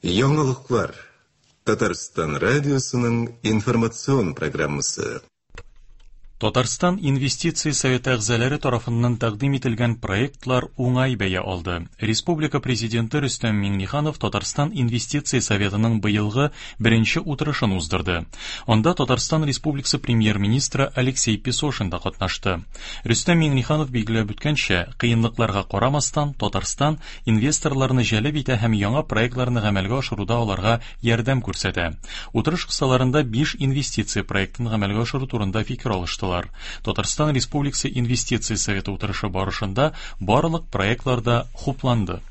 Яңалыклар. Татарстан радиосының информацион программасы. Татарстан Инвестиция советы әгъзалары тарафыннан тәкъдим ителгән проектлар уңай бәя алды. Республика Президенты Рөстәм Миңнеханов Татарстан Инвестиция советының быелгы беренче утырышын уздырды. Анда Татарстан Республикасы Премьер-министры Алексей Песошин да катнашты. Рөстәм Миңнеханов билгеләп үткәнчә, кыенлыкларга карамастан, Татарстан инвесторларны җәлеп итә һәм яңа проектларны гамәлгә ашыруда аларга ярдәм күрсәтә. Утырыш кысаларында 5 инвестиция проектын гамәлгә ашыру турында фикер алыштылар. Татарстан Республикасы Инвестиция советы утырышы барышында барлык проектлар да хупланды.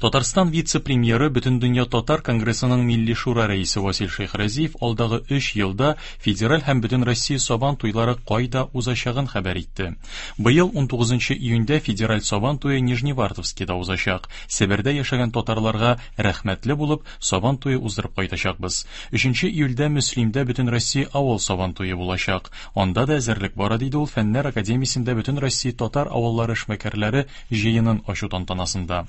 Татарстан вице-премьеры Бөтендөнья татар конгрессының Милли шура рәисе Васил Шәйхразиев алдагы 3 елда федераль һәм Бөтенроссия Сабан туйлары кайда узачагын хәбәр итте. Быел 19 июньдә федераль Сабан туе Нижневартовскида узачак. Себердә яшәгән татарларга рәхмәтле булып, Сабан туе уздырып кайтачакбыз. 3 июльдә Мөслимдә Бөтенроссия авыл Сабан туе булачак. Анда да әзерлек бара, диде ул Фәннәр академиясендә Бөтенроссия татар авыллары эшмәкәрләре җыенын ачу тантанасында.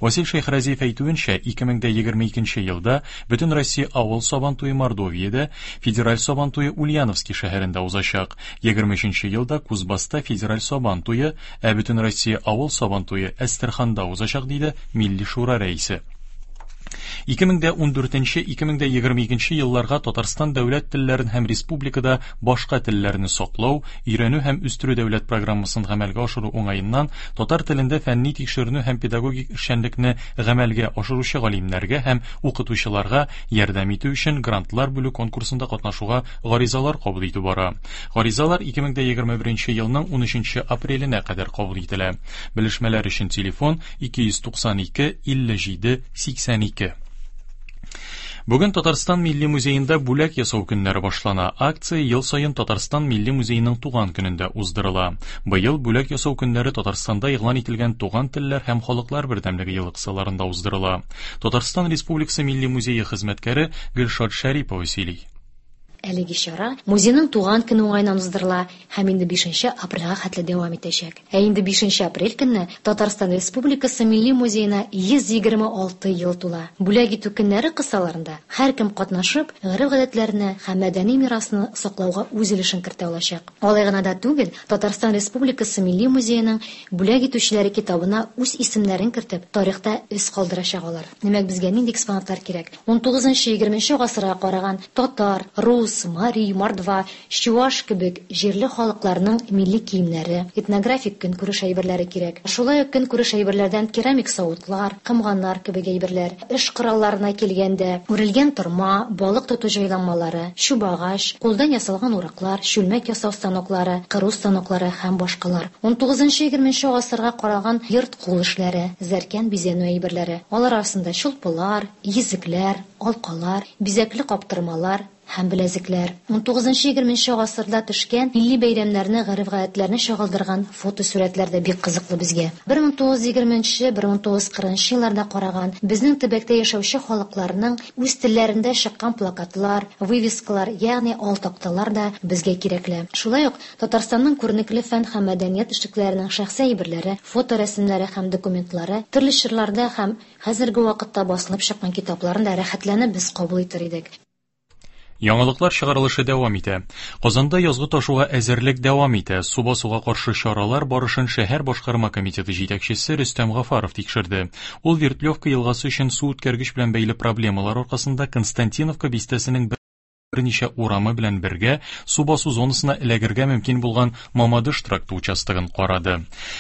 Васил Шәйхразиев әйтүенчә, 2022 елда Бөтенроссия авыл Сабан туе Мордовиядә, федераль Сабан туе Ульяновский шәһәрендә узачак. 23 елда Кузбасста федераль Сабан туе, ә Бөтенроссия авыл Сабан туе Әстерханда узачак, диде Милли шура рәисе. 2014-2022 елларга Татарстан дәүләт телләрен һәм республикада башка телләрне саклау, өйрәнү һәм үстерү дәүләт программасын гамәлгә ашыру уңаеннан татар телендә фәнни тикшеренү һәм педагогик эшчәнлекне гамәлгә ашыручы галимнәргә һәм укытучыларга ярдәм итү өчен грантлар бүлү конкурсында катнашуга гаризалар кабул итү бара. Гаризалар 2021 елның 13 апреленә кадәр кабул ителә. Белешмәләр өчен телефон 292 57 82. Бүген Татарстан Милли музеенда бүләк ясау көннәре башлана. Акция ел саен Татарстан Милли музееның туган көнендә уздырыла. Быел бүләк ясау көннәре Татарстанда игълан ителгән Туган телләр һәм халыклар бердәмлеге елы кысаларында уздырыла. Татарстан Республикасы Милли музее хезмәткәре Гөлшат Шәрипова сөйли. Әлеге чара музейның туган көне уңаеннан уздырыла һәм инде 5 апрельгә хәтле дәвам итәчәк. Ә инде 5 апрель көнне Татарстан Республикасы Милли музеена 126 ел тула. Бүләк итү көннәре кысаларында һәркем катнашып, гореф-гадәтләрне һәм мәдәни мирасны саклауга үз өлешен кертә алачак. Алай гына да түгел, Татарстан Республикасы Милли музееның бүләк итүчеләре китабына үз исемнәрен кертеп, тарихта эз калдырачак алар. Димәк, безгә нинди экспонатлар кирәк? 19-20 гасырга караган татар, рус, мари, мордва, чуаш кебек җирле халыкларның милли киемнәре, этнографик көнкүреш әйберләре кирәк. Шулай ук көнкүреш әйберләрдән керамик савытлар, комганнар кебек әйберләр. Эш коралларына килгәндә, үрелгән торма, балык тоту җайланмалары, чүбагач, кулдан ясалган ураклар, чүлмәк ясау станоклары, кыру станоклары һәм башкалар. 19-20 гасырга караган йорт кул эшләре, зәркән бизәнү әйберләре. Алар арасында чулпылар, йөзекләр, алкалар, бизәкле каптырмалар һәм беләзекләр. 19-20 гасырда төшкән милли бәйрәмнәрне, гореф-гадәтләрне чагылдырган фотосурәтләр дә бик кызыклы безгә. 1920-1940 елларда караган безнең төбәктә яшәүче халыкларның үз телләрендә чыккан плакатлар, вывескалар, ягъни алтакталар да безгә кирәкле. Шулай ук Татарстанның күренекле фән һәм мәдәният эшлеклеләренең шәхси әйберләре, фоторәсемнәре һәм документлары, төрле чорларда һәм хәзерге вакытта басылып чыккан китапларын да рәхәтләнеп без кабул итер идек. Яңалыклар чыгарылышы дәвам итә. Казанда язгы ташуга әзерлек дәвам итә. Су басуга каршы чаралар барышын шәһәр башкарма комитеты җитәкчесе Рөстәм Гафаров тикшерде. Ул Вертлевка елгасы өчен су үткәргеч белән бәйле проблемалар аркасында Константиновка бистәсенең берничә урамы белән бергә су басу зонасына эләгергә мөмкин булган Мамадыш тракты участогын карады.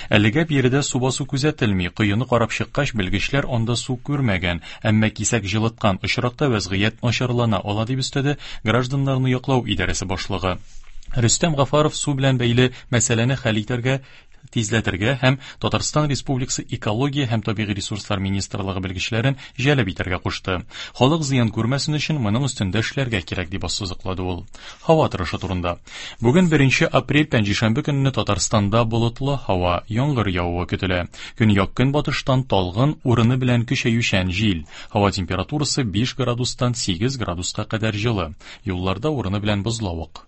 Әлегә биредә су басу күзәтелми. Коены карап чыккач, белгечләр анда су күрмәгән, әмма кисәк җылыткан очракта вәзгыять начарлана ала, дип өстәде гражданнарны яклау идарәсе башлыгы. Рөстәм Гафаров су белән бәйле мәсьәләне хәл итәргә тизләтергә һәм Татарстан Республикасы Экология һәм табигый ресурслар министрлыгы белгечләрен җәлеп итәргә кушты. Халык зыян күрмәсен өчен моның өстендә эшләргә кирәк, дип ассызыклады ул. Һава торышы турында. Бүген 1 апрель пәнҗешәмбе көнне Татарстанда болытлы һава, яңгыр явуы көтелә. Көньяк-көнбатыштан талгын, урыны белән көчәючән җил. Һава температурасы 5 градустан 8 градуска кадәр җылы. Юлларда урыны белән бозлавык.